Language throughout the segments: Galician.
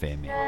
FM.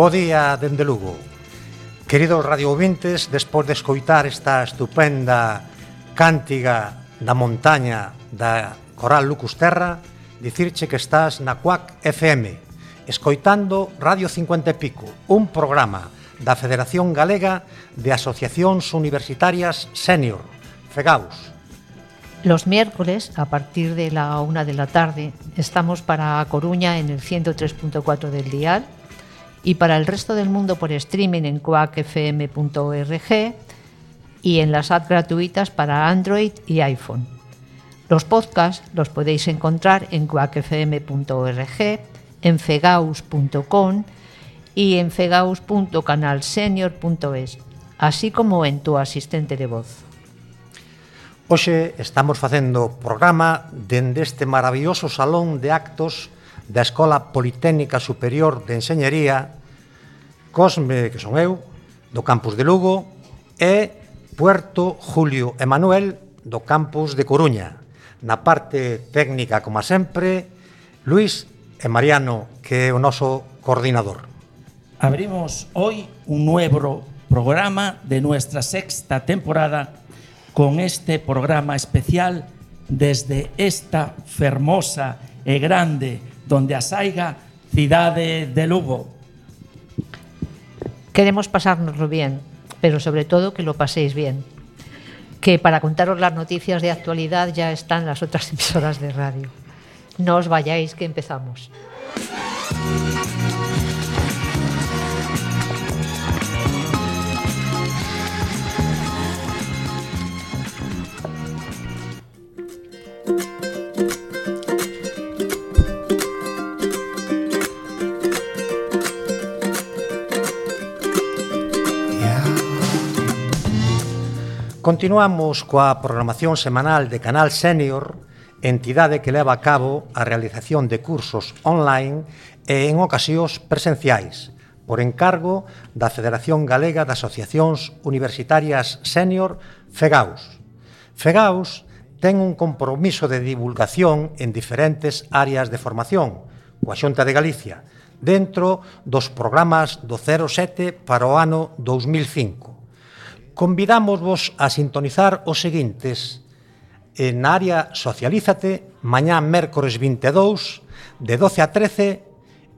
Bo día dende Lugo. Queridos radioouvintes, despois de escoitar esta estupenda cántiga da montaña da Coral Lucusterra, dicirche que estás na CUAC FM, escoitando Radio 50 e Pico, un programa da Federación Galega de Asociacións Universitarias Senior, FEGAUS. Los miércoles, a partir de la 1 de la tarde, estamos para A Coruña en el 103.4 del dial y para el resto del mundo por streaming en coacfm.org y en las apps gratuitas para Android y iPhone. Los podcasts los podéis encontrar en coacfm.org, en fegaus.com y en fegaus.canalsenior.es, así como en tu asistente de voz. Hoxe estamos facendo programa dende este maravilloso salón de actos da Escola Politécnica Superior de Enxeñería, Cosme, que son eu, do campus de Lugo, e Puerto Julio Emanuel, do campus de Coruña. Na parte técnica, como sempre, Luis e Mariano, que é o noso coordinador. Abrimos hoy un nuevo programa de nuestra sexta temporada con este programa especial desde esta fermosa e grande donde asaiga cidade de Lugo. Queremos pasárnoslo bien, pero sobre todo que lo paséis bien. Que para contaros las noticias de actualidad ya están las otras emisoras de radio. No os vayáis, que empezamos. Continuamos coa programación semanal de Canal Senior, entidade que leva a cabo a realización de cursos online e en ocasións presenciais, por encargo da Federación Galega de Asociacións Universitarias Sénior, FEGAUS. FEGAUS ten un compromiso de divulgación en diferentes áreas de formación coa Xunta de Galicia, dentro dos programas do 07 para o ano 2005. Convidámosvos a sintonizar os seguintes: en área Socialízate, mañá mércores 22, de 12 a 13,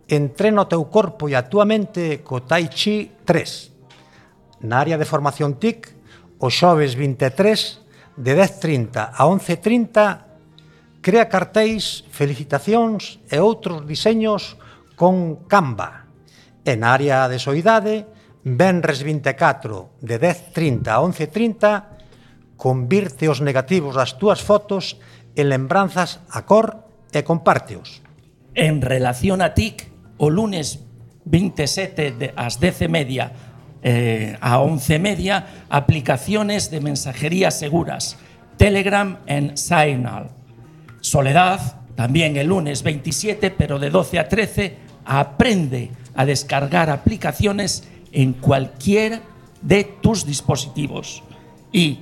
Entrena o teu corpo e a túa mente co Tai Chi 3. Na área de formación TIC, o xoves 23, de 10:30 a 11:30, crea cartéis, felicitacións e outros diseños con Canva. En área de Soidade, venres 24, de 10:30 a 11:30, convirte os negativos das túas fotos en lembranzas a cor e compárteos. En relación a TIC, o lunes 27 ás 10:30 a 11:30, aplicaciones de mensajería seguras, Telegram en Signal. Soledad, también el lunes 27, pero de 12 a 13, aprende a descargar aplicaciones en cualquiera de tus dispositivos. Y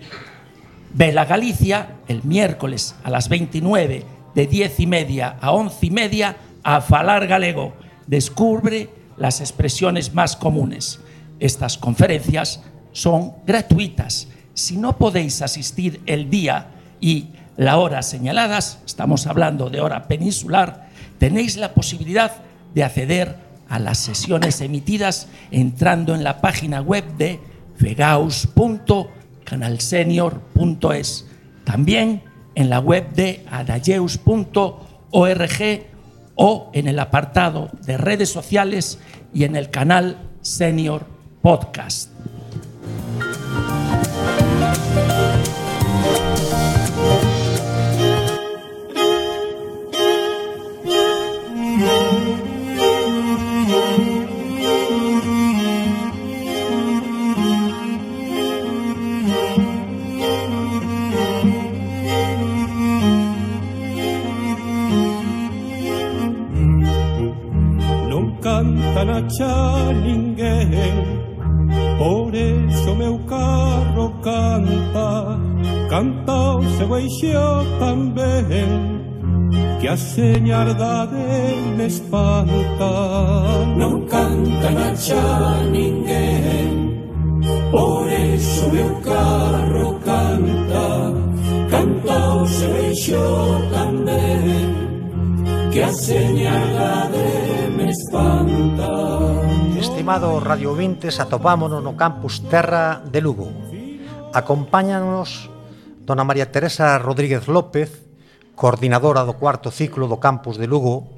Vela Galicia, el miércoles a las 29, de 10:30 a 11:30, a falar galego. Descubre las expresiones más comunes. Estas conferencias son gratuitas. Si no podéis asistir el día y la hora señaladas, estamos hablando de hora peninsular, tenéis la posibilidad de acceder a las sesiones emitidas entrando en la página web de fegaus.canalsenior.es, también en la web de adayeus.org o en el apartado de redes sociales y en el canal Senior Podcast. Xa ninguén, por eso meu carro canta, canta o seu eixo tamén, que a señardade me espanta. Non canta xa ninguén, por eso meu carro canta, canta o seu eixo tamén, que a señardade me espanta. Estimado Radio Vintes, atopámonos no campus Terra de Lugo. Acompáñanos dona María Teresa Rodríguez López, coordinadora do cuarto ciclo do campus de Lugo,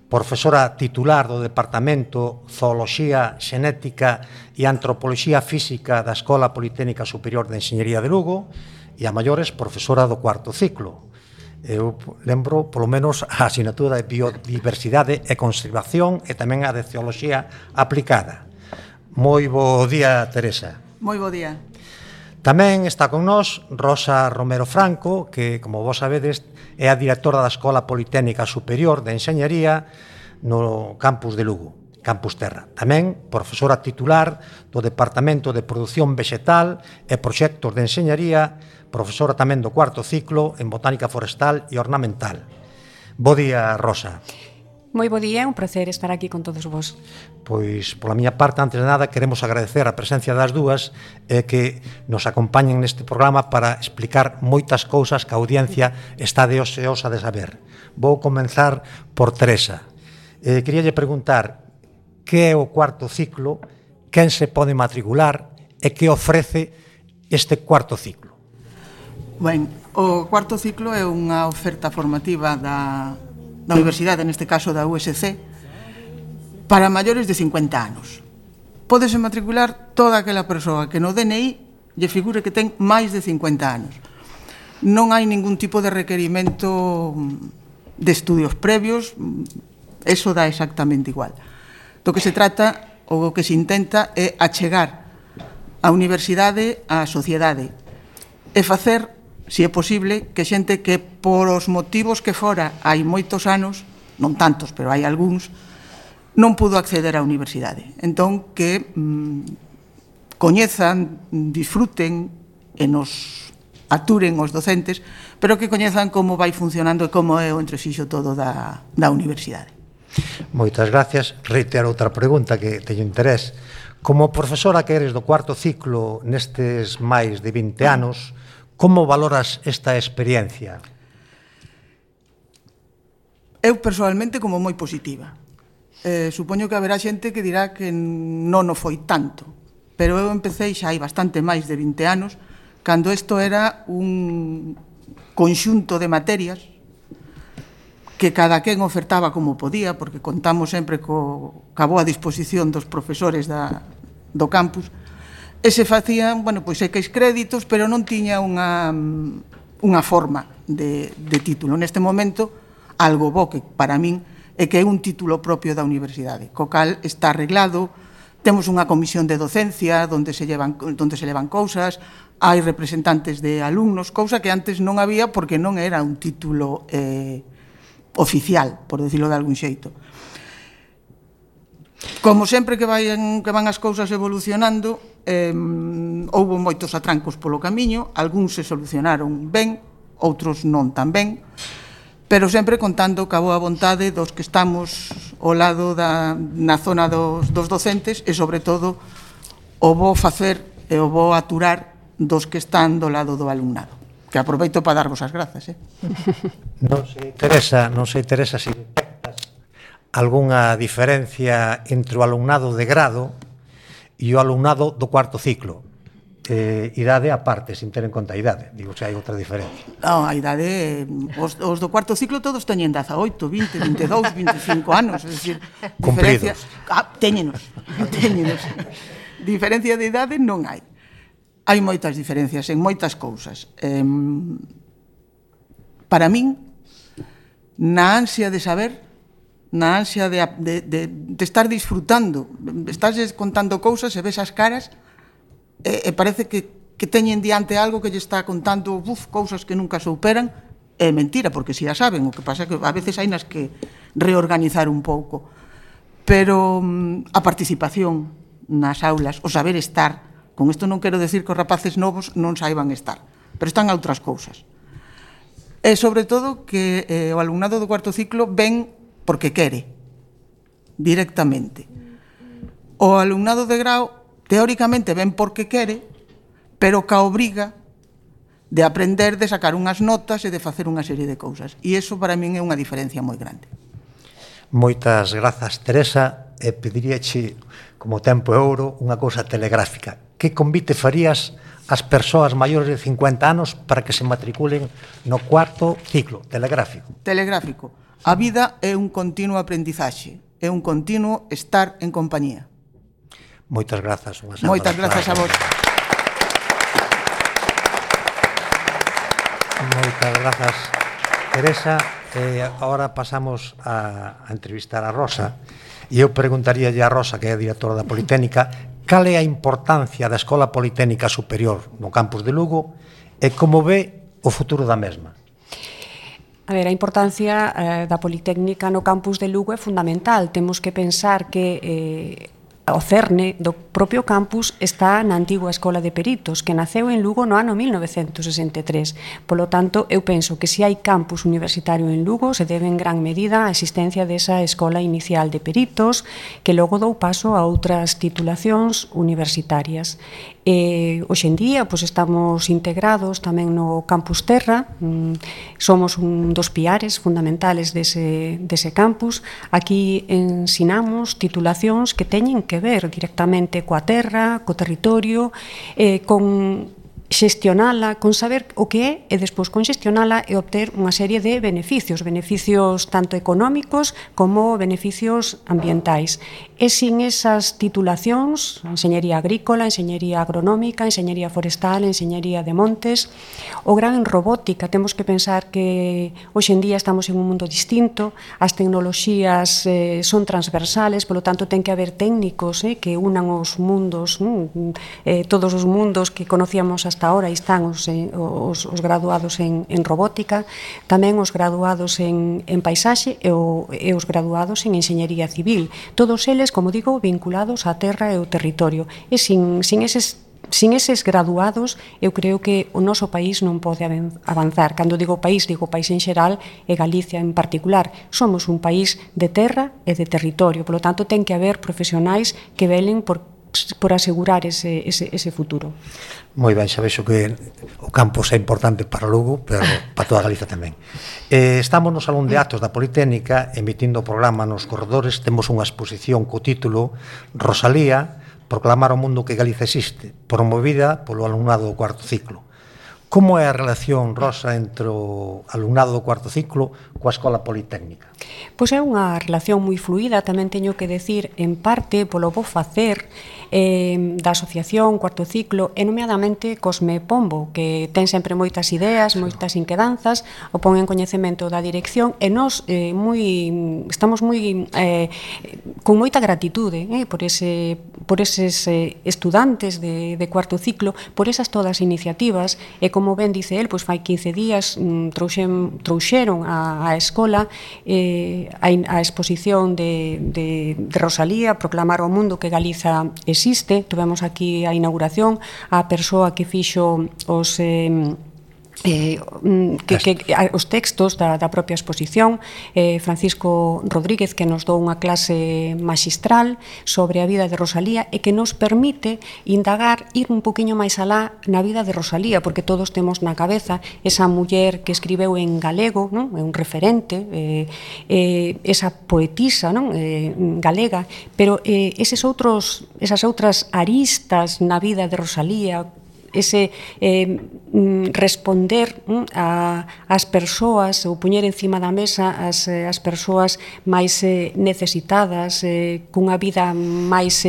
profesora titular do Departamento Zooloxía, Xenética e Antropoloxía Física da Escola Politécnica Superior de Enxeñería de Lugo e a maiores profesora do cuarto ciclo. Eu lembro, polo menos, a asignatura de Biodiversidade e Conservación e tamén a de Zooloxía Aplicada. Moi bo día, Teresa. Moi bo día. Tamén está con nós Rosa Romero Franco, que, como vos sabedes, é a directora da Escola Politécnica Superior de Enxeñería no campus de Lugo, Campus Terra. Tamén profesora titular do Departamento de Produción Vegetal e Proxectos de Enxeñería, profesora tamén do cuarto ciclo en Botánica Forestal e Ornamental. Bo día, Rosa. Moi bo día, un placer estar aquí con todos vos. Pois, pola miña parte, antes de nada, queremos agradecer a presencia das dúas e que nos acompañen neste programa para explicar moitas cousas que a audiencia está deseosa de saber. Vou comenzar por Teresa. Queríalle preguntar que é o cuarto ciclo, quen se pode matricular e que ofrece este cuarto ciclo. Ben, o cuarto ciclo é unha oferta formativa da universidade, neste caso da USC, para maiores de 50 anos. Pódese matricular toda aquela persoa que no DNI lle figure que ten máis de 50 anos. Non hai ningún tipo de requerimento de estudios previos, eso dá exactamente igual. Do que se trata, ou o que se intenta, é achegar a universidade á sociedade e facer, se é posible, que xente que por os motivos que fora hai moitos anos, non tantos, pero hai algúns, non pudo acceder á universidade. Entón, que coñezan, disfruten e nos aturen os docentes, pero que coñezan como vai funcionando e como é o entrexixo todo da universidade. Moitas gracias. Reitero outra pregunta que teño interés. Como profesora que eres do cuarto ciclo nestes máis de 20 anos, como valoras esta experiencia? Eu, personalmente, como moi positiva. Supoño que haberá xente que dirá que non o foi tanto, pero eu empecé xa hai bastante máis de 20 anos, cando isto era un conxunto de materias que cada quen ofertaba como podía, porque contamos sempre ca boa disposición dos profesores do campus, e se facían, pois X créditos, pero non tiña unha forma de título. Neste momento, algo bo que para min é que é un título propio da universidade, co cal está arreglado, temos unha comisión de docencia onde se levan cousas, hai representantes de alumnos, cousa que antes non había porque non era un título oficial, por decirlo de algún xeito. Como sempre que van as cousas evolucionando, houbo moitos atrancos polo camiño, algúns se solucionaron ben, outros non tan ben, pero sempre contando ca boa vontade dos que estamos ao lado na zona dos docentes e, sobre todo, o bo facer e o bo aturar dos que están do lado do alumnado. Que aproveito para darvos as grazas. Non sei, Teresa, se detectas algunha diferencia entre o alumnado de grado e o alumnado do cuarto ciclo. Idade aparte, sin ter en conta a idade. Digo, se hai outra diferencia. Non, a idade, os do cuarto ciclo todos teñen 18, 20, 22, 25 anos, é dicir, cumpridos. Téñenos. Diferencia de idade non hai. Hai moitas diferencias en moitas cousas. Para min, na ansia de saber, na ansia de estar disfrutando, estás contando cousas e ves as caras e parece que teñen diante algo que lle está contando cousas que nunca souperan. É mentira, porque si a saben, o que pasa é que a veces hai nas que reorganizar un pouco. Pero a participación nas aulas, o saber estar, con isto non quero decir que os rapaces novos non saiban estar, pero están a outras cousas. E sobre todo que o alumnado do cuarto ciclo ven porque quere, directamente. O alumnado de grao teóricamente ven porque quere, pero ca obriga de aprender, de sacar unhas notas e de facer unha serie de cousas. E iso para min é unha diferencia moi grande. Moitas grazas, Teresa, e pediríache, como tempo e ouro, unha cousa telegráfica. Que convite farías ás persoas maiores de 50 anos para que se matriculen no cuarto ciclo telegráfico? Telegráfico. A vida é un continuo aprendizaxe, é un continuo estar en compañía. Moitas grazas. Moitas grazas a vos. Moitas grazas, Teresa. Agora pasamos a entrevistar a Rosa. E eu preguntaríalle a Rosa, que é a directora da Politécnica, cal é a importancia da Escola Politécnica Superior no campus de Lugo e como ve o futuro da mesma. A ver, a importancia da Politécnica no campus de Lugo é fundamental. Temos que pensar que o cerne do propio campus está na antigua Escola de Peritos, que naceu en Lugo no ano 1963. Polo tanto, eu penso que se hai campus universitario en Lugo, se debe en gran medida a existencia desa Escola Inicial de Peritos, que logo dou paso a outras titulacións universitarias. Hoxe en día estamos integrados tamén no Campus Terra, somos un dos piares fundamentales dese campus. Aquí ensinamos titulacións que teñen que ver directamente coa terra, co territorio, con xestionala, con saber o que é e despois con xestionala e obter unha serie de beneficios tanto económicos como beneficios ambientais. E sin esas titulacións, enxeñería agrícola, enxeñería agronómica, enxeñería forestal, enxeñería de montes, o gran en robótica, temos que pensar que hoxe en día estamos en un mundo distinto, as tecnoloxías son transversales, polo tanto ten que haber técnicos que unan os mundos, todos os mundos que conocíamos hasta hasta ahora están os graduados en robótica, tamén os graduados en paisaxe e os graduados en enxeñería civil. Todos eles, como digo, vinculados á terra e ao territorio. E sin eses graduados, eu creo que o noso país non pode avanzar. Cando digo país en xeral e Galicia en particular. Somos un país de terra e de territorio, polo tanto ten que haber profesionais que velen por asegurar ese futuro. Moi ben, xa vexo que o campus é importante para Lugo, pero para toda Galicia tamén. Estamos no Salón de Actos da Politécnica emitindo o programa nos corredores. Temos unha exposición co título Rosalía, proclamar ao mundo que Galicia existe, promovida polo alumnado do cuarto ciclo. Como é a relación, Rosa, entre o alumnado do cuarto ciclo coa Escola Politécnica? Pois é unha relación moi fluida, tamén teño que decir, en parte, polo bo facer da asociación Cuarto Ciclo, e nomeadamente Cosme Pombo, que ten sempre moitas ideas, moitas inquedanzas, o pon en coñecemento da dirección, e nós estamos moi con moita gratitude por eses estudantes de Cuarto Ciclo, por esas todas iniciativas, e como ben dice el, pois fai 15 días trouxeron á escola a exposición de Rosalía, proclamar ao mundo que Galiza existe. Tuvemos aquí a inauguración, a persoa que fixo os textos da propia exposición, Francisco Rodríguez, que nos dou unha clase maxistral sobre a vida de Rosalía e que nos permite indagar, ir un poquinho máis alá na vida de Rosalía, porque todos temos na cabeza esa muller que escribeu en galego, non? É un referente, esa poetisa, non? Galega, pero esas outras aristas na vida de Rosalía, ese responder ás persoas ou poñer encima da mesa as persoas máis necesitadas, cunha vida máis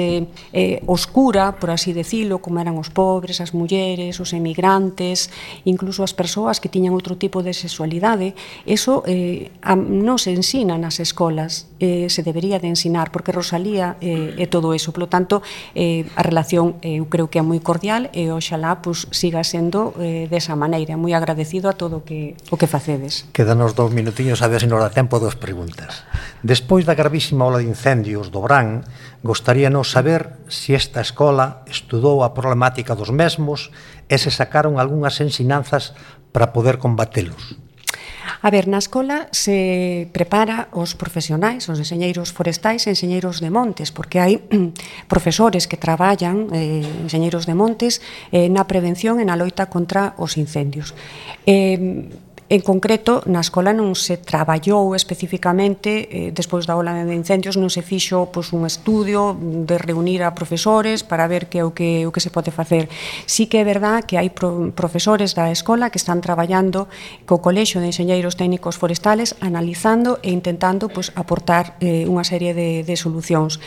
oscura, por así decirlo, como eran os pobres, as mulleres, os emigrantes, incluso as persoas que tiñan outro tipo de sexualidade. Eso non se ensina nas escolas, se debería de ensinar, porque Rosalía é todo eso. Por lo tanto, a relación eu creo que é moi cordial e oxalá siga sendo desa maneira. Moi agradecido a todo o que facedes. Quedanos 2 minutiños a ver se nos dá tempo a 2 preguntas. Despois da gravísima ola de incendios do Brán, gostaríanos saber se esta escola estudou a problemática dos mesmos e se sacaron algunhas ensinanzas para poder combatelos. A ver, na escola se prepara os profesionais, os enxeñeiros forestais e enxeñeiros de montes, porque hai profesores que traballan, enxeñeiros de montes, na prevención e na loita contra os incendios. En concreto, na escola non se traballou especificamente, despois da ola de incendios, non se fixo un estudio de reunir a profesores para ver que é o que se pode facer. Sí que é verdad que hai profesores da escola que están traballando co Colexio de Enxeñeiros Técnicos Forestales, analizando e intentando aportar unha serie de solucións.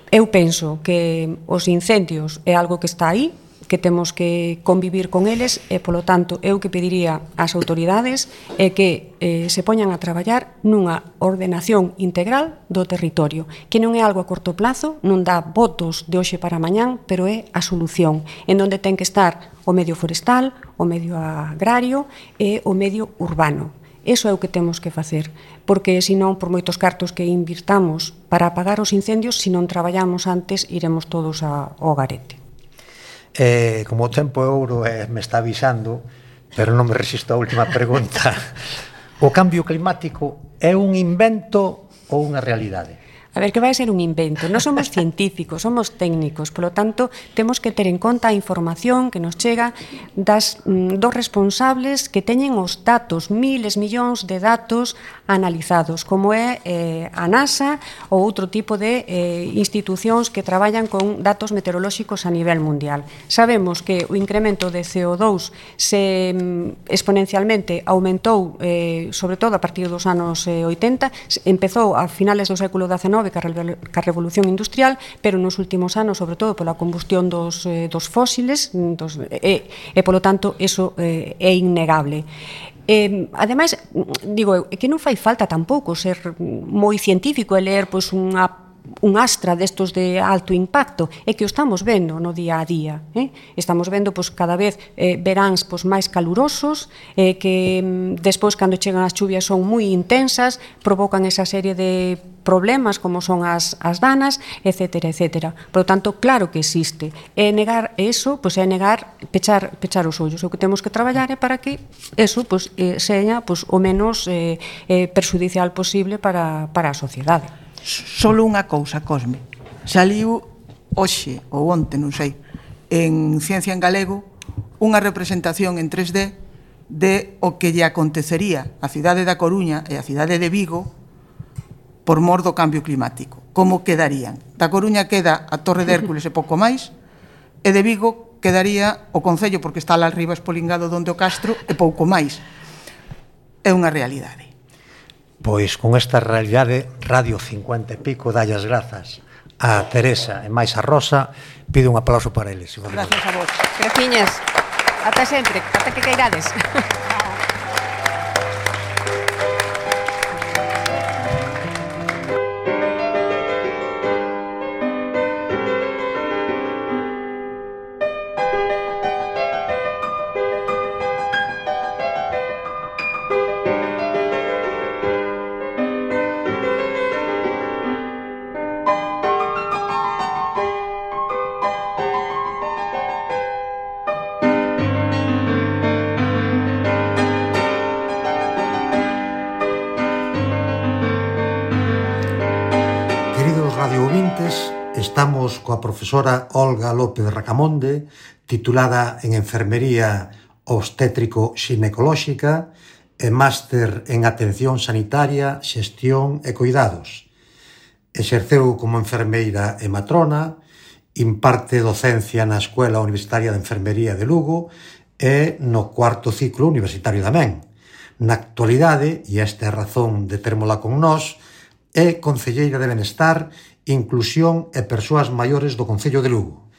Eu penso que os incendios é algo que está aí, que temos que convivir con eles e, polo tanto, eu que pediría ás autoridades é que se poñan a traballar nunha ordenación integral do territorio, que non é algo a corto plazo, non dá votos de hoxe para mañán, pero é a solución, en onde ten que estar o medio forestal, o medio agrario e o medio urbano. Eso é o que temos que facer, porque senón, por moitos cartos que invirtamos para apagar os incendios, se non traballamos antes, iremos todos ao garete. Como o tempo é ouro me está avisando, pero non me resisto a última pregunta. O cambio climático é un invento ou unha realidade? A ver, que vai ser un invento? Non somos científicos, somos técnicos, polo tanto, temos que ter en conta a información que nos chega dos responsables que teñen os datos, miles, millóns de datos analizados, como é a NASA ou outro tipo de institucións que traballan con datos meteorolóxicos a nivel mundial. Sabemos que o incremento de CO2 se exponencialmente aumentou, sobre todo a partir dos anos 80, empezou a finales do século XIX ca revolución industrial, pero nos últimos anos, sobre todo pola combustión dos fósiles, e polo tanto, eso é innegable. Ademais, digo eu, que non fai falta tampouco ser moi científico e ler unha un astra destos de alto impacto, é que o estamos vendo no día a día. Estamos vendo cada vez veráns máis calurosos, que despois, cando chegan as chuvias, son moi intensas, provocan esa serie de problemas como son as danas, etcétera, etcétera. Por lo tanto, claro que existe. E negar eso, é negar, pechar os ollos. O que temos que traballar é para que eso seña o menos perxudicial posible para a sociedade. Solo unha cousa, Cosme. Saliu hoxe, ou onte, non sei, en Ciencia en Galego, unha representación en 3D de o que lle acontecería á cidade da Coruña e á cidade de Vigo por mor do cambio climático. Como quedarían? Da Coruña queda a Torre de Hércules e pouco máis, e de Vigo quedaría o Concello, porque está lá arriba espolingado donde o Castro, e pouco máis. É unha realidade. Pois con esta realidade, Radio 50 e pico dalle as grazas a Teresa e máis a Rosa. Pido un aplauso para eles. Gracias a vos. Graciñas. Ata sempre, ata que cairades. Estamos coa profesora Olga López Racamonde, titulada en Enfermería Obstétrico-Xinecolóxica e máster en Atención Sanitaria, Xestión e Cuidados. Exerceu como enfermeira e matrona, imparte docencia na Escuela Universitaria de Enfermería de Lugo e no cuarto ciclo universitario tamén. Na actualidade, e esta é a razón de termola con nós, é concelleira de Benestar, Inclusión e Persoas Maiores do Concello de Lugo.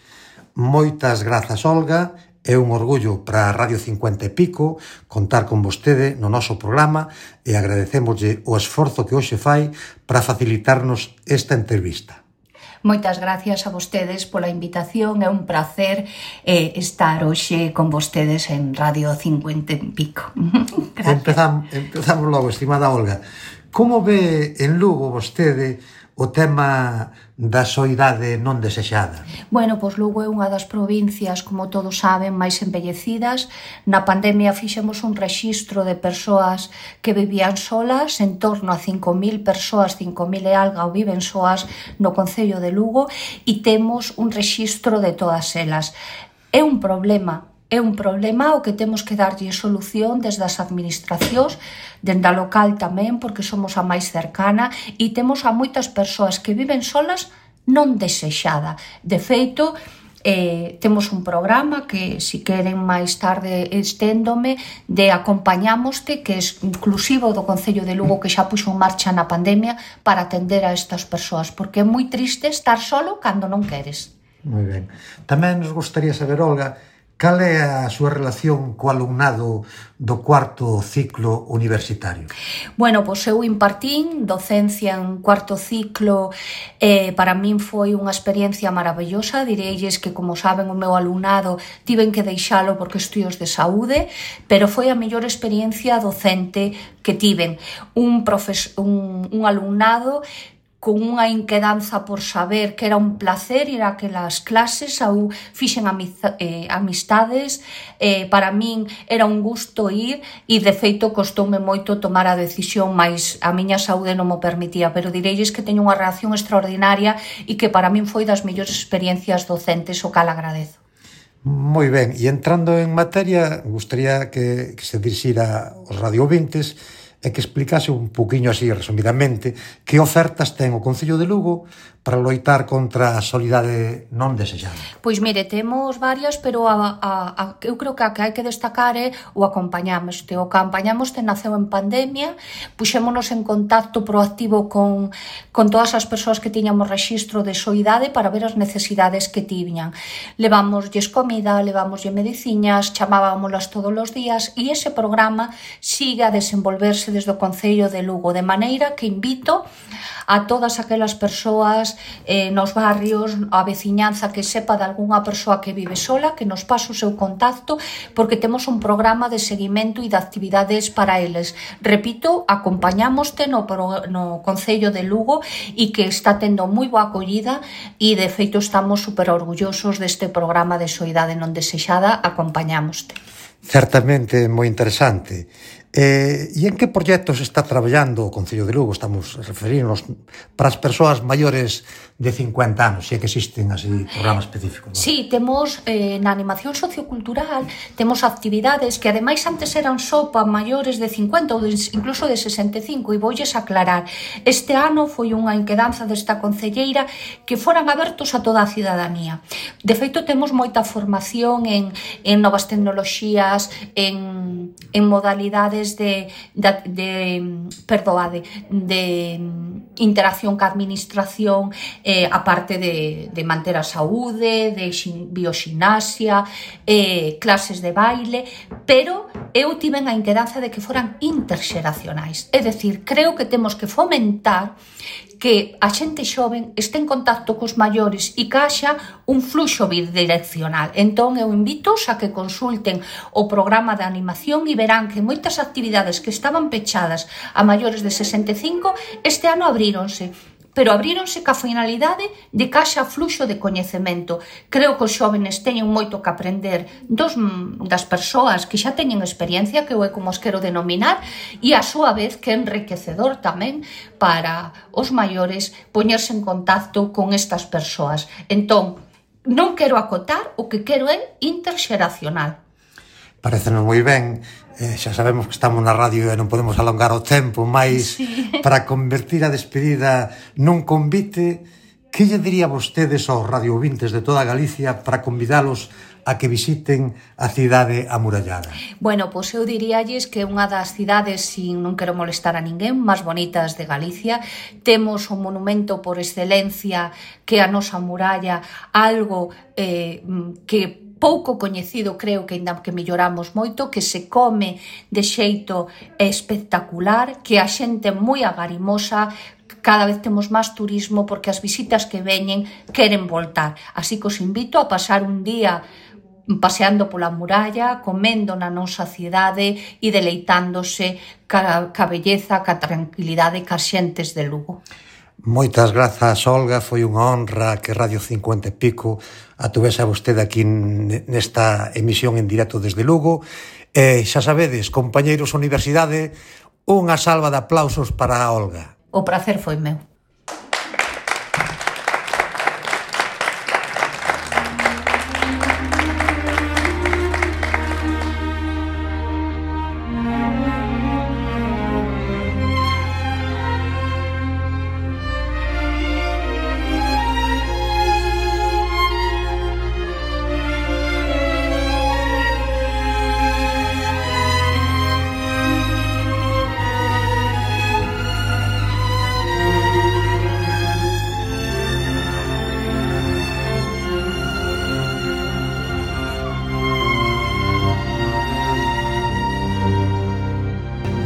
Moitas grazas, Olga. É un orgullo para a Radio 50 e pico contar con vostede no noso programa e agradecémoslle o esforzo que hoxe fai para facilitarnos esta entrevista. Moitas gracias a vostedes pola invitación, é un placer estar hoxe con vostedes en Radio 50 e pico. Empezamos logo, estimada Olga. Como ve en Lugo vostede o tema da soidade non desexada? Bueno, pois Lugo é unha das provincias, como todos saben, máis envellecidas. Na pandemia fixemos un rexistro de persoas que vivían solas, en torno a 5.000 persoas, 5.000 e algo viven soas no Concello de Lugo, e temos un rexistro de todas elas. É un problema ao que temos que darlle solución desde as administracións, dende a local tamén, porque somos a máis cercana, e temos a moitas persoas que viven solas non desexada. De feito, temos un programa que, se queren máis tarde esténdome, de Acompañamoste, que é inclusivo do Concello de Lugo, que xa puxo en marcha na pandemia para atender a estas persoas, porque é moi triste estar solo cando non queres. Moi ben. Tamén nos gustaría saber, Olga, cal é a súa relación co alumnado do cuarto ciclo universitario? Bueno, pois eu impartín docencia en cuarto ciclo, para min foi unha experiencia maravillosa. Direilles que, como saben, o meu alumnado tiven que deixalo por cuestións de saúde, pero foi a mellor experiencia docente que tiven. Un alumnado con unha inquedanza por saber que era un placer ir a aquelas clases, ou fixen amistades, para min era un gusto ir, e de feito costoume moito tomar a decisión, mas a miña saúde non mo permitía, pero direilles que teño unha reacción extraordinaria e que para min foi das mellores experiencias docentes, o cal agradezo. Moi ben, e entrando en materia, gustaría que se dirixira aos radiovintes e que explicase un poquinho así, resumidamente, que ofertas ten o Concello de Lugo para loitar contra a soidade non desexada. Pois mire, temos varias, pero eu creo que a que hai que destacar é o Acompañamoste. O Acompañamoste naceu en pandemia, puxémonos en contacto proactivo con todas as persoas que tiñamos rexistro de soidade para ver as necesidades que tiñan. Levámoslles comida, levámoslle mediciñas, chamábamolas todos os días, e ese programa sigue a desenvolverse desde o Concello de Lugo, de maneira que invito a todas aquelas persoas nos barrios, a veciñanza que sepa de algunha persoa que vive sola, que nos pase o seu contacto, porque temos un programa de seguimento e de actividades para eles. Repito, acompañámoste no Concello de Lugo e que está tendo moi boa acollida e de feito estamos super orgullosos deste programa de Soidade non desexada, acompañámoste. Certamente moi interesante. E en que proxectos está traballando o Concello de Lugo? Estamos referirnos para as persoas maiores de 50 anos, se é que existen así programas específicos. ¿No? Sí, temos na animación sociocultural, temos actividades que ademais antes eran só para maiores de 50 ou incluso de 65, e voulles aclarar. Este ano foi unha inquedanza desta concelleira que foran abertos a toda a cidadanía. De feito, temos moita formación en novas tecnoloxías, en modalidades de interacción ca administración, a parte de manter a saúde, de bioxinasia, clases de baile, pero eu tiven a inquedanza de que foran interxeracionais. É dicir, creo que temos que fomentar que a xente xoven este en contacto cos maiores e que haxa un fluxo bidireccional. Entón, eu invito a que consulten o programa de animación e verán que moitas actividades que estaban pechadas a maiores de 65 este ano abríronse, pero abríronse ca finalidade de que haxa fluxo de coñecemento. Creo que os xóvenes teñen moito que aprender das persoas que xa teñen experiencia, que eu é como os quero denominar, e a súa vez que é enriquecedor tamén para os maiores poñerse en contacto con estas persoas. Entón, non quero acotar, o que quero é interxeracional. Parécenos moi ben, xa sabemos que estamos na radio e non podemos alongar o tempo, mas para convertir a despedida nun convite, que lle diría vostedes aos radiovintes de toda Galicia para convidalos a que visiten a cidade amurallada? Bueno, pois eu diríalles que é unha das cidades, sin non quero molestar a ninguén, máis bonitas de Galicia. Temos un monumento por excelencia que é a nosa muralla, algo que pouco coñecido, creo que ainda que melloramos moito, que se come de xeito espectacular, que a xente moi agarimosa, cada vez temos máis turismo porque as visitas que veñen queren voltar. Así que os invito a pasar un día paseando pola muralla, comendo na nosa cidade e deleitándose ca belleza, ca tranquilidade, ca xentes de Lugo. Moitas grazas, Olga, foi unha honra que Radio 50 e pico atuvese a vostede aquí nesta emisión en directo desde Lugo. E xa sabedes, compañeiros universidade, unha salva de aplausos para a Olga. O prazer foi meu.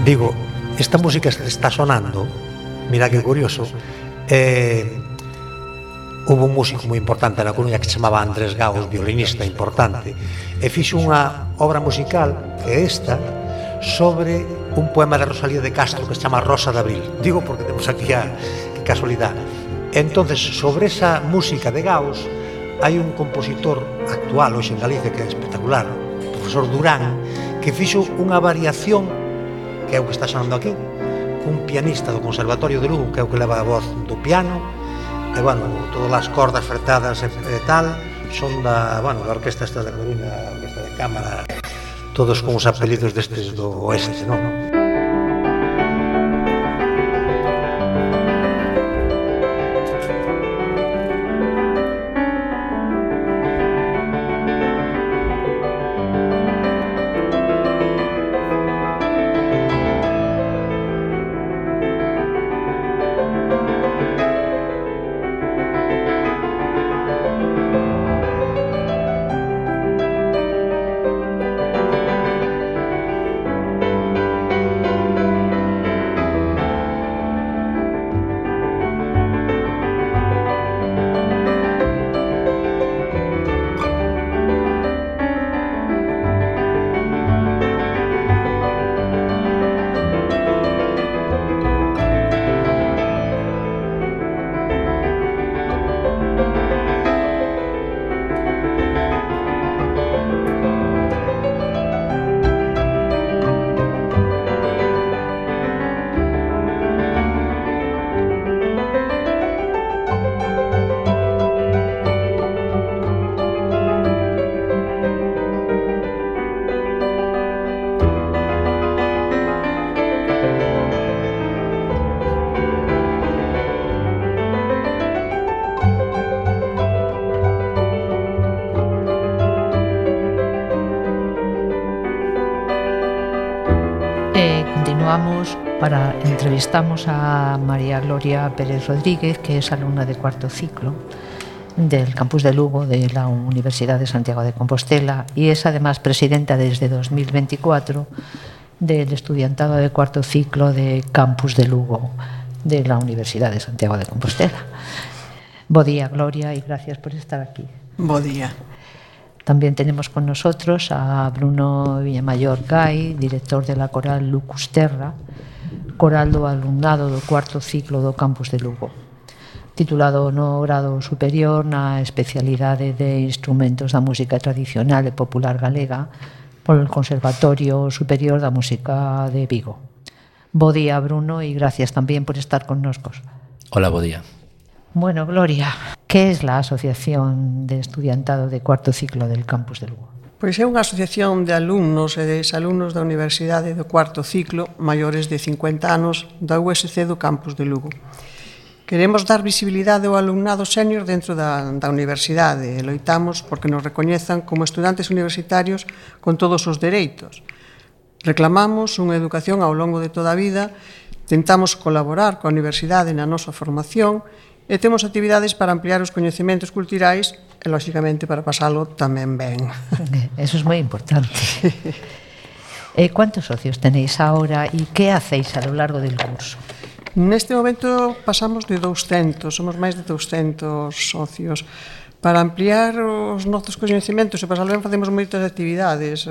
Digo, esta música que está sonando, mira que curioso, hubo un músico moi importante na Coruña que se chamaba Andrés Gaos, violinista importante, e fixo unha obra musical que é esta, sobre un poema de Rosalía de Castro que se chama Rosa de Abril. Digo porque temos aquí a casualidade. Entonces, sobre esa música de Gaos, hai un compositor actual hoxe en Galicia que é espectacular, o profesor Durán, que fixo unha variación que é o que está sonando aquí, un pianista do Conservatorio de Lugo, que é o que leva a voz do piano, e, bueno, todas as cordas fretadas e tal, son da orquesta esta de Coruña, a orquesta de cámara, todos con os apelidos destes do oeste, non? continuamos entrevistamos a María Gloria Pérez Rodríguez, que es alumna de cuarto ciclo del campus de Lugo de la Universidad de Santiago de Compostela y es además presidenta desde 2024 del estudiantado de cuarto ciclo de campus de Lugo de la Universidad de Santiago de Compostela. Bo día, Gloria, y gracias por estar aquí. Bo día. También tenemos con nosotros a Bruno Villamayor Gai, director de la coral Lucusterra, coral do alumnado do cuarto ciclo do campus de Lugo, titulado no grado superior na especialidade de instrumentos da música tradicional e popular galega polo Conservatorio Superior da Música de Vigo. Bo día, Bruno, y gracias también por estar con nosotros. Hola, bo día. Bueno, Gloria, ¿qué es la Asociación de Estudiantado de Cuarto Ciclo del Campus de Lugo? Pois é unha asociación de alumnos e de exalumnos da Universidade do cuarto ciclo maiores de 50 anos da USC do campus de Lugo. Queremos dar visibilidade ao alumnado sénior dentro da universidade e loitamos porque nos recoñezan como estudantes universitarios con todos os dereitos. Reclamamos unha educación ao longo de toda a vida, tentamos colaborar coa universidade na nosa formación e temos actividades para ampliar os coñecementos culturais e, lóxicamente, para pasalo tamén ben. Eso es moi importante. ¿Cuántos socios tenéis ahora y qué hacéis a lo largo del curso? Neste momento pasamos de 200, somos máis de 200 socios. Para ampliar os nosos coñecementos e pasalo ben facemos moitas actividades,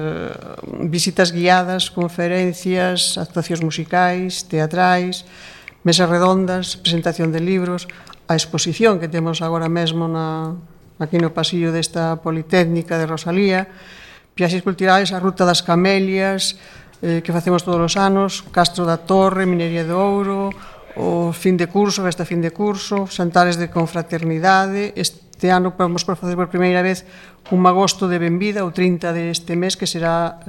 visitas guiadas, conferencias, actuacións musicais, teatrais, mesas redondas, presentación de libros, a exposición que temos agora mesmo aquí no pasillo desta Politécnica de Rosalía, viaxes culturais, a Ruta das Camelias, que facemos todos os anos, Castro da Torre, Minería de Ouro, o fin de curso, esta fin de curso, xantares de confraternidade. Este ano vamos por facer por primeira vez un magosto de benvida, o 30 deste mes, que será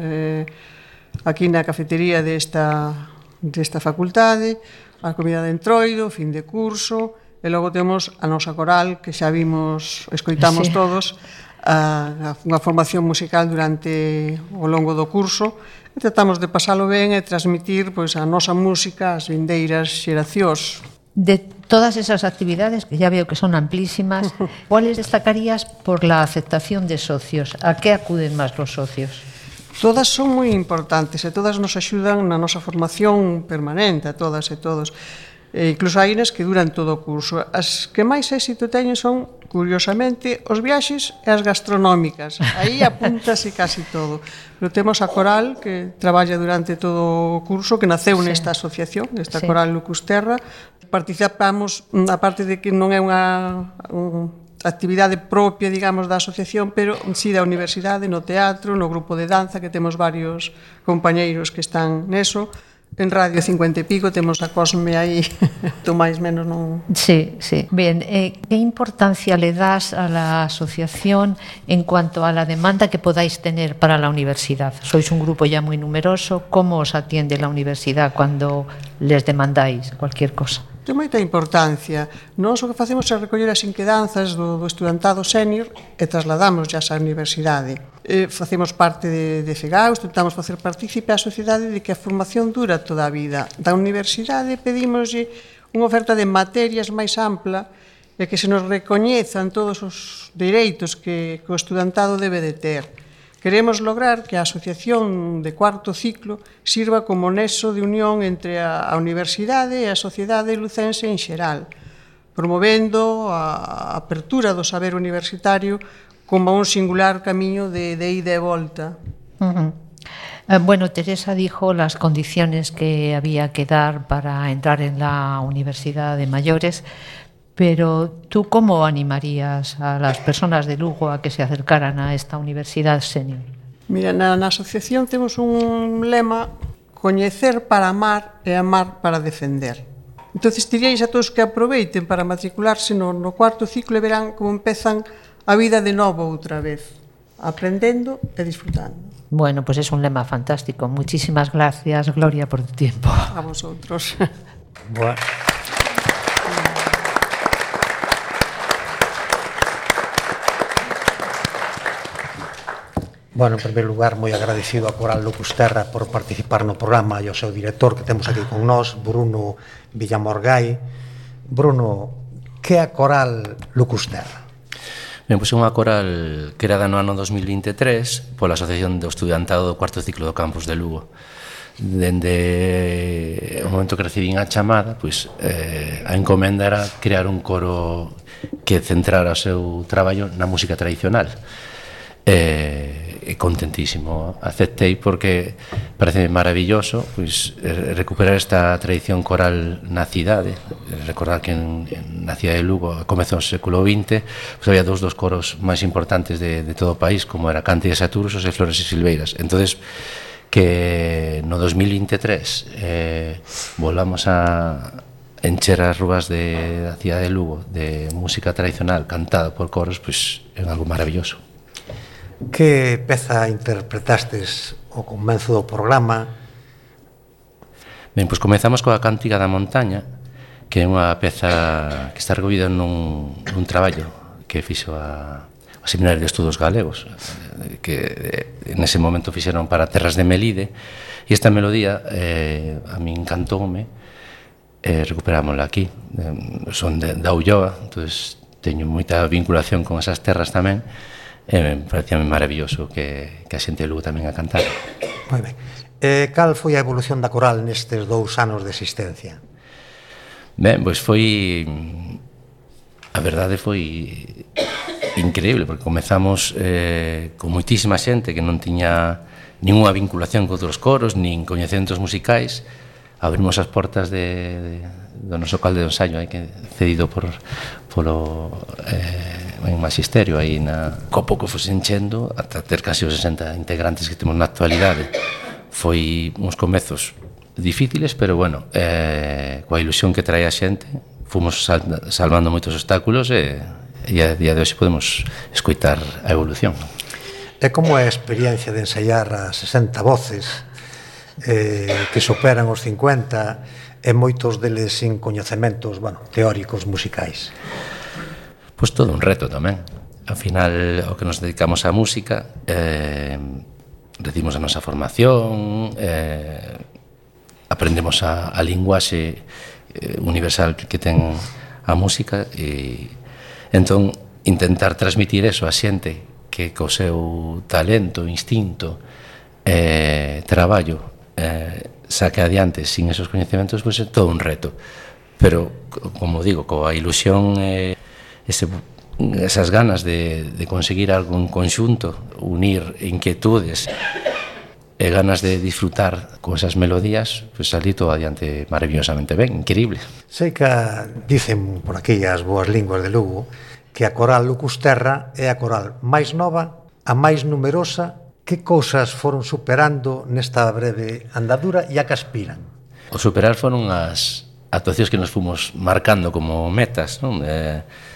aquí na cafetería desta facultade, a comida de entroido, fin de curso, e logo temos a nosa coral, que xa vimos, escoitamos todos, unha formación musical durante o longo do curso, e tratamos de pasalo ben e transmitir a nosa música ás vindeiras xeracións. De todas esas actividades, que ya veo que son amplísimas, ¿cuáles destacarías por la aceptación de socios? ¿A qué acuden más los socios? Todas son moi importantes e todas nos axudan na nosa formación permanente, a todas e todos. Incluso hai nas que duran todo o curso. As que máis éxito teñen son, curiosamente, os viaxes e as gastronómicas. Aí apúntase casi todo. Pero temos a coral que traballa durante todo o curso, que naceu nesta asociación, esta coral Lucusterra. Participamos, aparte de que non é unha actividade propia, digamos, da asociación, pero si da universidade, no teatro, no grupo de danza, que temos varios compañeiros que están neso. En Radio 50 e pico temos a Cosme aí, tú máis menos non... Sí, sí. Bien, ¿qué importancia le das a la asociación en cuanto a la demanda que podáis tener para la universidad? Sois un grupo ya muy numeroso, ¿cómo os atiende la universidad cuando les demandáis cualquier cosa? Ten moita importancia. Nós o que facemos é recoller as inquedanzas do estudantado sénior e trasladamos xa á universidade. Facemos parte de FEGAUS, tentamos facer partícipe á sociedade de que a formación dura toda a vida. Da universidade pedimoslle unha oferta de materias máis ampla e que se nos recoñezan todos os dereitos que o estudantado debe de ter. Queremos lograr que a asociación de cuarto ciclo sirva como nexo de unión entre a universidade e a sociedade lucense en xeral, promovendo a apertura do saber universitario como un singular camiño de ida e volta. Bueno, Teresa dijo las condiciones que había que dar para entrar en la Universidad de Mayores, pero ¿tú cómo animarías a las personas de Lugo a que se acercaran a esta universidad senior? Mira, na asociación temos un lema: coñecer para amar e amar para defender. Entonces diríais a todos que aproveiten para matricularse no cuarto ciclo e verán como empezan a vida de novo outra vez, aprendendo e disfrutando. Bueno, pues es un lema fantástico. Muchísimas gracias, Gloria, por tu tiempo. A vosotros. Bueno. Bueno, en primeiro lugar, moi agradecido a Coral Lucusterra por participar no programa e ao seu director que temos aquí con nós, Bruno Villamorgai. Bruno, que é a Coral Lucusterra? Ben, pois é unha coral creada no ano 2023 pola Asociación do Estudiantado do cuarto ciclo do campus de Lugo. Dende o momento que recibín a chamada, pois a encomenda era crear un coro que centrara o seu traballo na música tradicional. E contentísimo aceptei porque parece maravilloso pois recuperar esta tradición coral na cidade. Recordar que na cidade de Lugo a comezos do século XX pois había dos coros máis importantes de todo o país, como era Cántigas e Atursos e Flores e Silveiras. Entonces que no 2023 volamos a encher as rúas da cidade de Lugo de música tradicional cantada por coros, pois é algo maravilloso. Que peza interpretastes ao comezo do programa? Ben, pois comezamos coa Cántiga da Montaña, que é unha peza que está recollida nun traballo que fixo a Seminario de Estudos Galegos, que nese momento fixeron para Terras de Melide, e esta melodía a min encantoume, recuperámosla aquí. Son da Ulloa, entón teño moita vinculación con esas terras tamén, e parecía maravilloso que a xente de Lugo tamén a cantar. Moi ben. Cal foi a evolución da coral nestes 2 anos de existencia? Ben, pois foi... A verdade foi increíble, porque comezamos con moitísima xente que non tiña ninguna vinculación con outros coros, nin coñecementos musicais. Abrimos as portas do noso calde de ensaio, que cedido polo magisterio, aí co pouco foi enchendo ata ter casi os 60 integrantes que temos na actualidade. Foi uns comezos difíciles, pero bueno, coa ilusión que trae a xente, fomos salvando moitos obstáculos e a día de hoxe podemos escoitar a evolución. E como é a experiencia de ensaiar a 60 voces que superan os 50 e moitos deles sin coñecementos, teóricos musicais? Pois todo un reto tamén. Ao final, ao que nos dedicamos á música, recibimos a nosa formación, aprendemos a linguaxe universal que ten a música, e entón intentar transmitir eso a xente que co seu talento, instinto, traballo, saque adiante sin esos coñecementos, pois é todo un reto. Pero, como digo, coa ilusión esas ganas de conseguir algo en conxunto, unir inquietudes e ganas de disfrutar con esas melodías, pois salí todo adiante maravillosamente ben, increíble. Sei que dicen por aquí as boas linguas de Lugo que a Coral Lucusterra é a coral máis nova, a máis numerosa. Que cousas foron superando nesta breve andadura e a que aspiran? O superar foron as actuacións que nos fomos marcando como metas, non?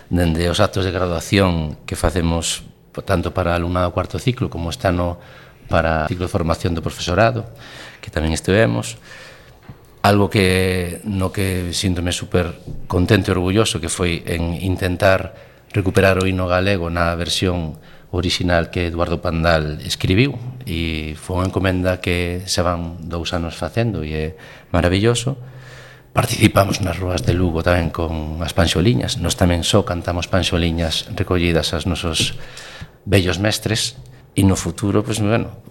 Dende os actos de graduación que facemos tanto para alumnado cuarto ciclo como este ano para o ciclo de formación do profesorado, que tamén estivemos. Algo no que síntome super contento e orgulloso, que foi en intentar recuperar o hino galego na versión original que Eduardo Pandal escribiu, e foi unha encomenda que se van 2 anos facendo e é maravilloso. Participamos nas rúas de Lugo tamén con as panxoliñas. Nos tamén só cantamos panxoliñas recollidas aos nosos vellos mestres, e no futuro, pois,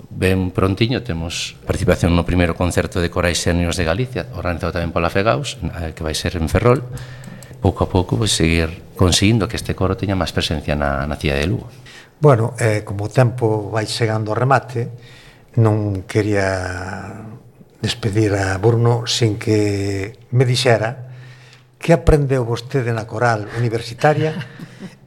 ben prontiño temos participación no primeiro concerto de corais séniores de Galicia, organizado tamén pola FEGAUS, que vai ser en Ferrol. Pouco a pouco, pois, seguir conseguindo que este coro teña máis presencia na cidade de Lugo. Bueno, como o tempo vai chegando ao remate, non quería despedir a Bruno sin que me dixera que aprendeu vostede na coral universitaria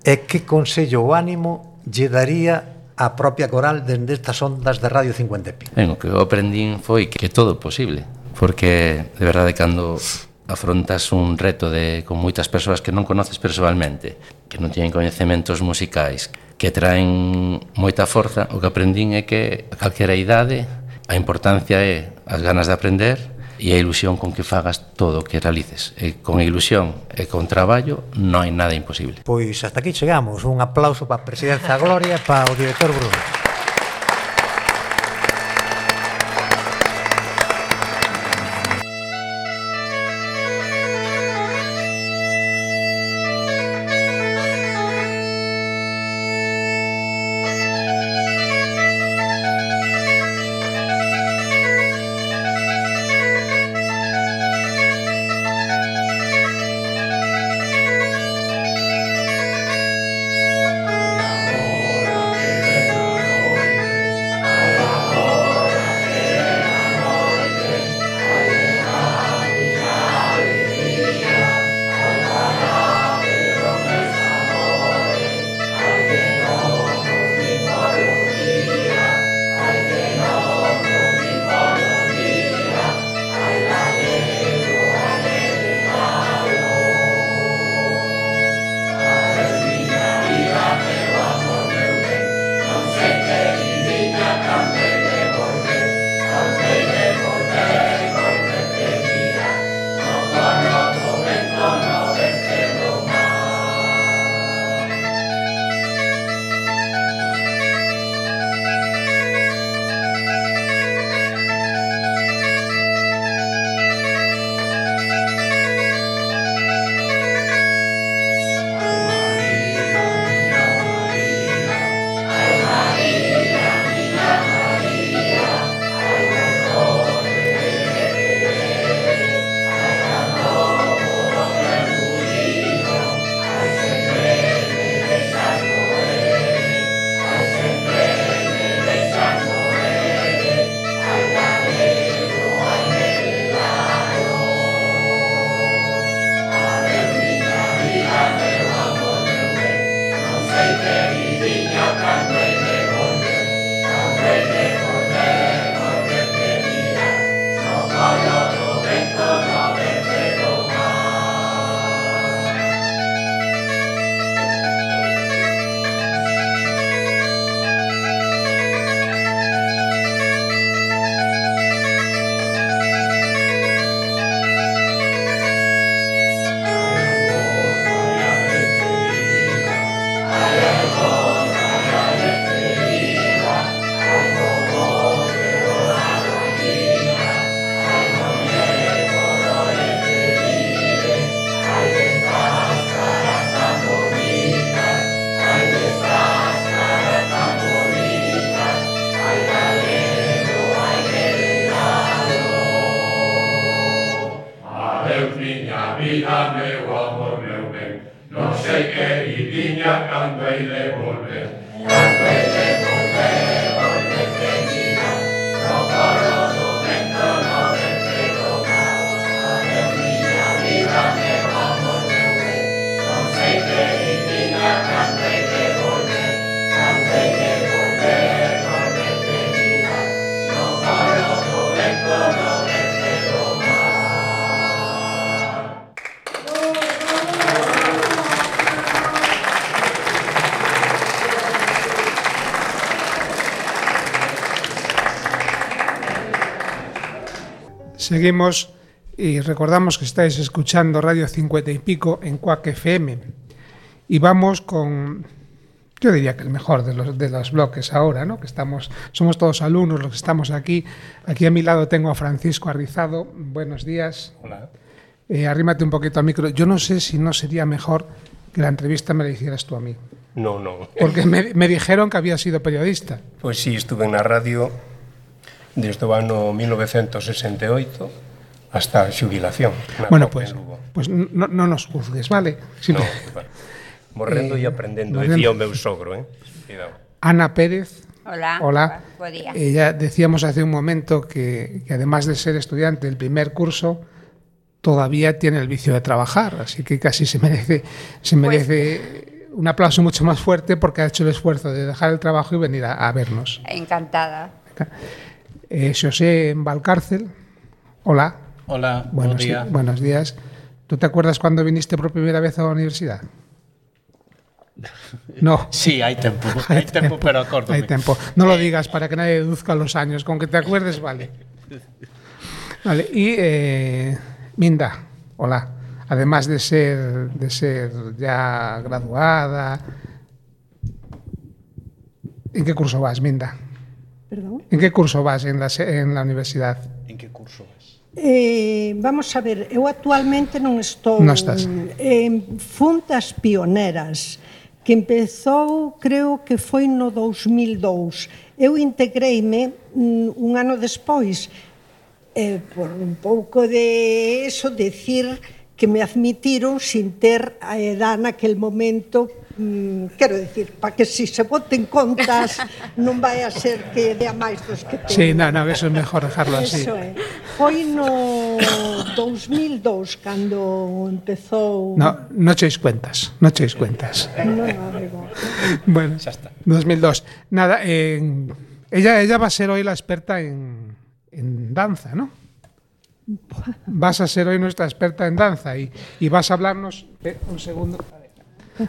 e que consello ou ánimo lle daría a propia coral dende estas ondas de Radio 50 Pi. O que eu aprendín foi que todo é posible, porque de verdade cando afrontas un reto con moitas persoas que non conoces persoalmente, que non teñen coñecementos musicais, que traen moita forza, o que aprendín é que a calquera idade a importancia é as ganas de aprender e a ilusión con que fagas todo o que realices. E con ilusión e con traballo non hai nada imposible. Pois hasta aquí chegamos. Un aplauso para a Presidencia Gloria e para o director Bruno. Seguimos y recordamos que estáis escuchando Radio 50 y Pico en Cuac FM y vamos con, yo diría que el mejor de los bloques ahora, ¿no? Que somos todos alumnos los que estamos aquí. Aquí a mi lado tengo a Francisco Arrizado. Buenos días. Hola. Arrímate un poquito al micro. Yo no sé si no sería mejor que la entrevista me la hicieras tú a mí. No. Porque me dijeron que había sido periodista. Pois sí, estuve na radio desde o ano 1968 hasta a xubilación. Bueno, pues no nos juzgues, ¿vale? No, bueno, morrendo e aprendendo, decía o meu sogro, Cuidado. Ana Pérez. Hola. Bo día. Ya decíamos hace un momento que además de ser estudiante del primer curso, todavía tiene el vicio de trabajar, así que casi se merece un aplauso mucho más fuerte porque ha hecho el esfuerzo de dejar el trabajo y venir a vernos. Encantada. Xosé Valcárcel, hola. Hola, buen día. Buenos días. ¿Tú te acuerdas cuando viniste por primera vez a la universidad? No. Sí, hay tiempo, pero acórdome. Hay tiempo. No lo digas para que nadie deduzca los años, con que te acuerdes vale. Vale, y Minda, hola. Además de ser ya graduada, ¿en qué curso vas, Minda? Perdón? ¿En qué curso vas en la universidad? En que curso vas? Vamos a ver, eu actualmente non estou en Funtas Pioneras, que empezou, creo que foi no 2002. Eu integreime un ano despois, por un pouco de eso, decir que me admitiron sin ter a edad naquel momento. Quero dicir, para que si se voten contas non vai a ser que dea máis dos que ten. Sí, no, eso é mejor dejarlo así. Eso é. Foi no 2002 cando empezou... No echéis cuentas. No, digo. Bueno, xa está. 2002. Nada, ella va a ser hoy la experta en danza, ¿no? Vas a ser hoy nuestra experta en danza y vas a hablarnos... un segundo...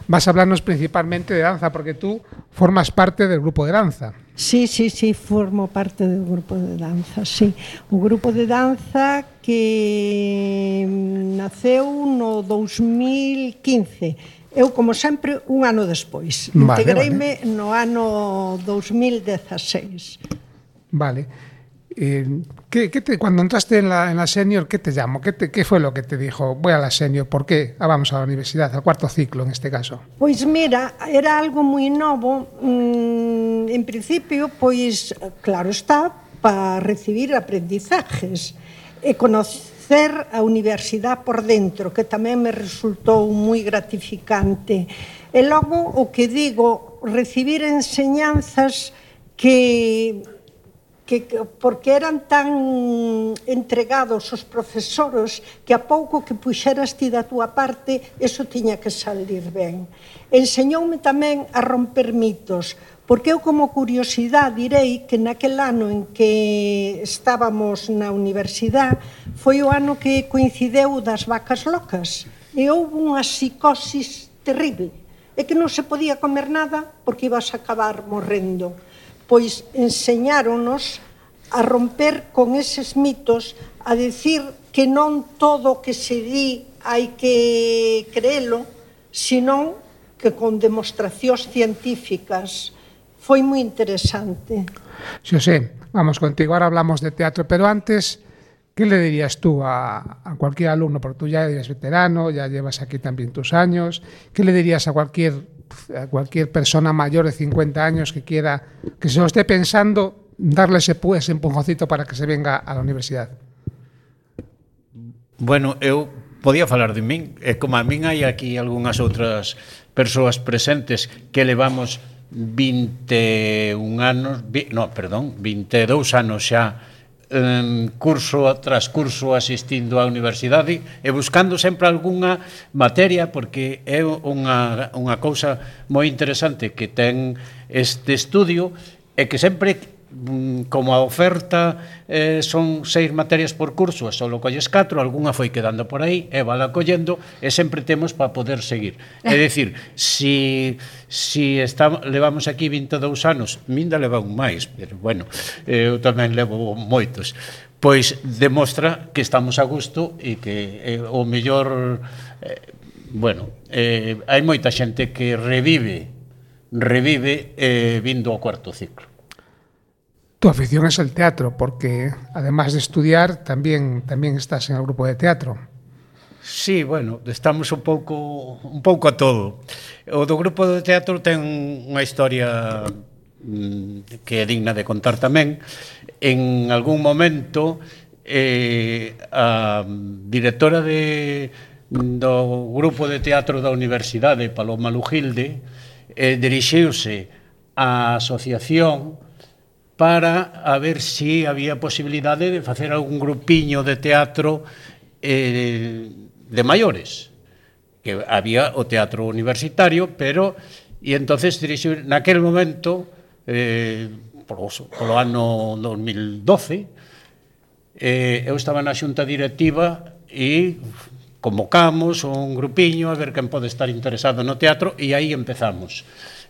Vas a hablarnos principalmente de danza, porque tú formas parte del grupo de danza. Sí, formo parte do grupo de danza, sí. O grupo de danza que naceu no 2015. Eu, como sempre, un ano despois. Integreime no ano 2016. Vale. Cuando entraste en la senior, ¿qué te llamó? ¿Qué fue lo que te dijo? Voy a la senior, ¿por qué? Vamos a la universidad, al cuarto ciclo en este caso. Pois mira, era algo moi novo. En principio, pois, claro está, para recibir aprendizajes e conocer a universidade por dentro, que tamén me resultou moi gratificante. E logo, o que digo, recibir enseñanzas que porque eran tan entregados os profesores que a pouco que puxeras ti da túa parte, eso tiña que salir ben. Enseñoume tamén a romper mitos, porque eu como curiosidade direi que naquel ano en que estábamos na universidade foi o ano que coincideu das vacas locas e houve unha psicosis terrible e que non se podía comer nada porque ibas a acabar morrendo. Pois enseñáronos a romper con eses mitos, a decir que non todo o que se di hai que creelo, senón que con demostracións científicas. Foi moi interesante. Xosé, vamos contigo, ahora hablamos de teatro, pero antes, ¿qué le dirías tú a cualquier alumno? Porque tú ya eres veterano, ya llevas aquí también tus años. ¿Qué le dirías a cualquier persona mayor de 50 años que quiera, que se lo esté pensando, darle ese empujoncito para que se venga a la universidad? Bueno, eu podía falar de min, e como a min hai aquí algunhas outras persoas presentes que levamos 22 anos xa curso tras curso asistindo á universidade e buscando sempre algunha materia, porque é unha cousa moi interesante que ten este estudio, é que sempre, como a oferta son 6 materias por curso e só colles 4, algunha foi quedando por aí e vala collendo e sempre temos para poder seguir. É dicir, si levamos aquí 22 anos, minda leva un máis, pero bueno, eu tamén levo moitos, pois demostra que estamos a gusto e que o mellor, hai moita xente que revive vindo ao cuarto ciclo. Tu afición es el teatro, porque además de estudiar también estás en el grupo de teatro. Sí, bueno, estamos un pouco a todo. O do grupo de teatro ten unha historia que é digna de contar tamén. En algún momento a directora do grupo de teatro da Universidade, Paloma Lujilde, dirixiuse á asociación para a ver se había posibilidade de facer algún grupiño de teatro de maiores, que había o teatro universitario, e entonces dirixiu naquel momento, polo ano 2012, eu estaba na xunta directiva e convocamos un grupiño a ver quen pode estar interesado no teatro, e aí empezamos.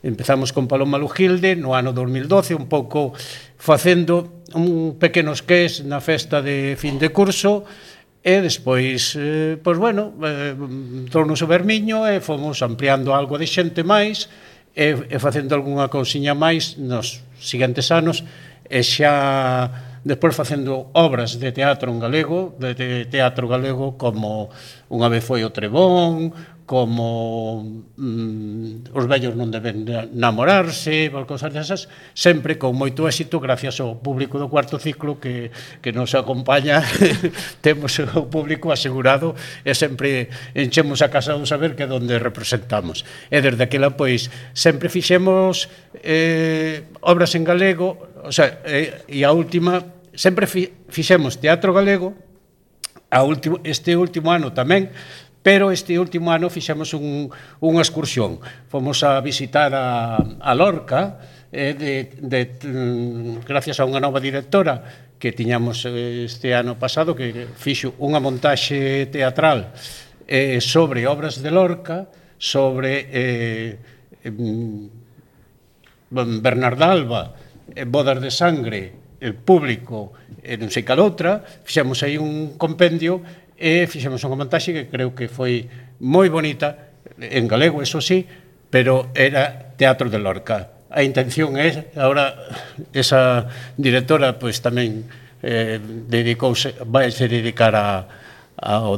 Empezamos con Paloma Lujilde no ano 2012, un pouco facendo un pequeno esqués na festa de fin de curso, e despois, trounos o vermiño e fomos ampliando algo de xente máis e facendo algunha cousiña máis nos seguintes anos, e xa despois facendo obras de teatro en galego, de teatro galego, como Unha vez foi o Trebón, como Os vellos non deben namorarse, cosas desas, sempre con moito éxito gracias ao público do cuarto ciclo que nos acompaña. Temos o público asegurado e sempre enchemos a casa do saber que é onde representamos. E desde aquela, pois, sempre fixemos obras en galego, e a última, sempre fixemos teatro galego, este último ano tamén, pero este último ano fixemos unha excursión. Fomos a visitar a Lorca, gracias a unha nova directora que tiñamos este ano pasado, que fixo unha montaxe teatral sobre obras de Lorca, sobre Bernarda Alba, Bodas de Sangre, El Público, non sei cal outra. Fixemos aí un compendio e fixemos unha montaxe que creo que foi moi bonita, en galego, eso sí, pero era teatro de Lorca. A intención é, agora, esa directora, pois tamén vai se dedicar ao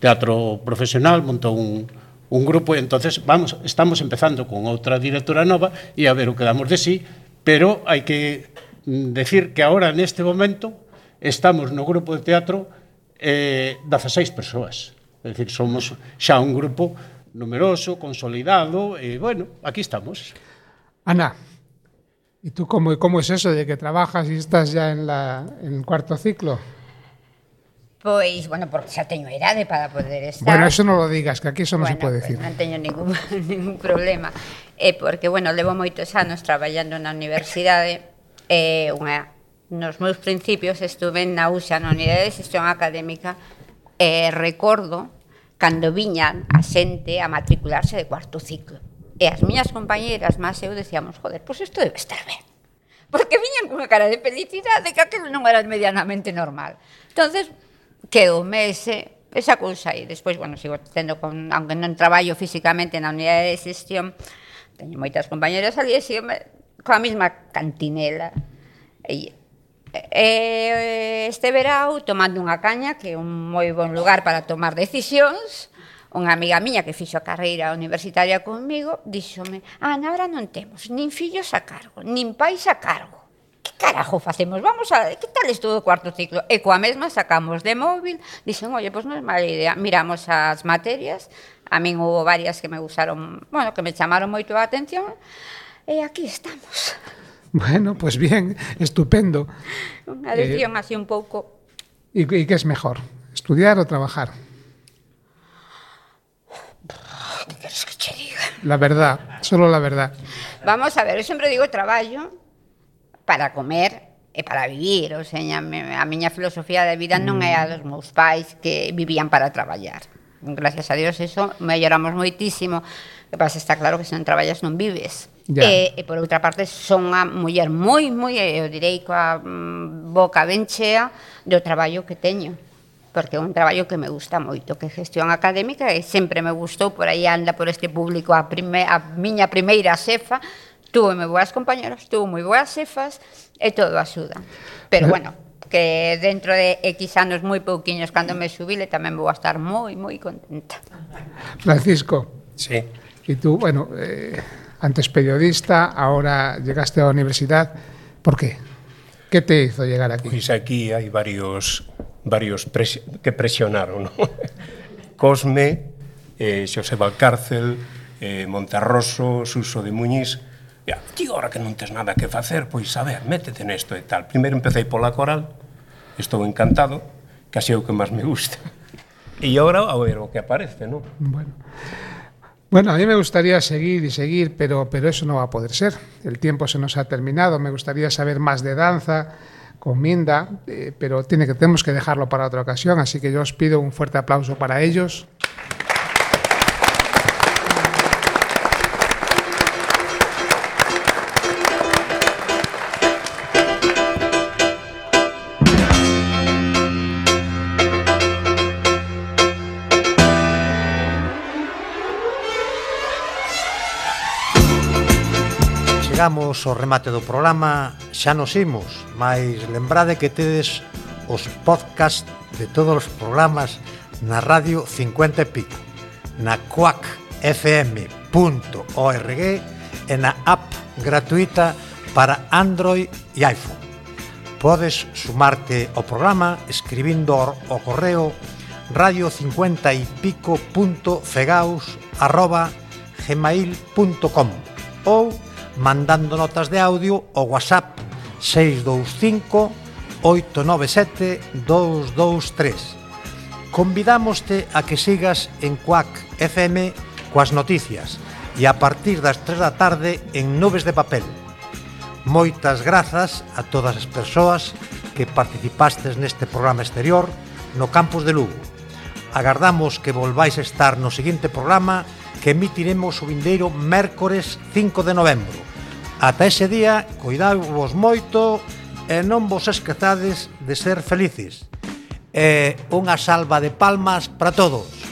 teatro profesional, montou un grupo, e entonces estamos empezando con outra directora nova e a ver o que damos de sí, pero hai que decir que agora, neste momento, estamos no grupo de teatro 16 persoas. É dicir, somos xa un grupo numeroso, consolidado, e, bueno, aquí estamos. Ana, ¿Y tú cómo es eso de que trabajas y estás ya en el cuarto ciclo? Pois, bueno, porque xa teño idade para poder estar. Bueno, eso non lo digas, que aquí eso non se pode decir. Non teño ningún problema. Porque, bueno, levo moitos anos traballando na universidade. Nos meus principios estuve na UXA, na Unidade de Xestión Académica, e recordo cando viñan a xente a matricularse de cuarto ciclo. E as miñas compañeras, máis eu, decíamos, joder, pois isto debe estar ben. Porque viñan cunha cara de felicidade que aquilo non era medianamente normal. Entonces, quedoume esa cousa aí. Despois, bueno, sigo tendo, aunque non traballo físicamente na unidade de xestión, teño moitas compañeras ali e sigo coa mesma cantinela. Este verao, tomando unha caña, que é un moi bon lugar para tomar decisións, unha amiga miña que fixo a carreira universitaria comigo, díxome, Ana, ahora non temos nin fillos a cargo, nin pais a cargo. Que carajo facemos? Vamos a... Que tal estudo o cuarto ciclo? E coa mesma sacamos de móvil, dixen, oye, pois non é mala idea. Miramos as materias, a min hubo varias que me gustaron, bueno, que me chamaron moito a atención, e aquí estamos. Bueno, pues bien, estupendo. Unha decisión así un pouco... ¿Y qué es mejor? ¿Estudiar o trabajar? ¿Qué queres que che diga? La verdad, solo la verdad. Vamos a ver, eu sempre digo traballo para comer e para vivir, o sea, a miña filosofía de vida non é a dos meus pais que vivían para traballar. Gracias a Dios, eso melloramos moitísimo. O que pasa, está claro que se non traballas non vives. E por outra parte, son unha muller moi, eu direi, coa boca ben chea do traballo que teño. Porque é un traballo que me gusta moito, que é gestión académica, e sempre me gustou, por aí anda por este público a miña primeira xefa, tuve moi boas compañeras, tuve moi boas xefas, e todo axuda. Pero bueno, que dentro de X anos moi pouquiños, cando me xubile, tamén vou a estar moi contenta. Francisco. Sí. Y tú, bueno, antes periodista, ahora llegaste a la universidad, ¿por qué? ¿Qué te hizo llegar aquí? Pois aquí hai varios que presionaron, ¿no? Cosme, Xosé Valcárcel, Monterroso, Suso de Muñiz. Ti, ahora que non tes nada que facer, pois a ver, métete nesto e tal. Primeiro empecé pola coral, estou encantado, casi é o que máis me gusta. E agora a ver o que aparece, ¿no? Bueno, a mí me gustaría seguir y seguir, pero eso no va a poder ser. El tiempo se nos ha terminado. Me gustaría saber más de danza con Minda, pero tenemos que dejarlo para otra ocasión, así que yo os pido un fuerte aplauso para ellos. Chegamos ao remate do programa, xa nos imos, mas lembrade que tedes os podcast de todos os programas na Radio 50 e pico, na quackfm.org e na app gratuita para Android e iPhone. Podes sumarte ao programa escribindo ao correo radio50ypico.fegaus@gmail.com ou mandando notas de audio ao WhatsApp 625 897 223. Convidámoste a que sigas en Quack FM coas noticias e a partir das 3 da tarde en Nubes de Papel. Moitas grazas a todas as persoas que participastes neste programa exterior no campus de Lugo. Agardamos que volváis a estar no seguinte programa que emitiremos o vindeiro mércores 5 de novembro. Ata ese día, cuidadvos moito e non vos esquezades de ser felices. Unha salva de palmas para todos.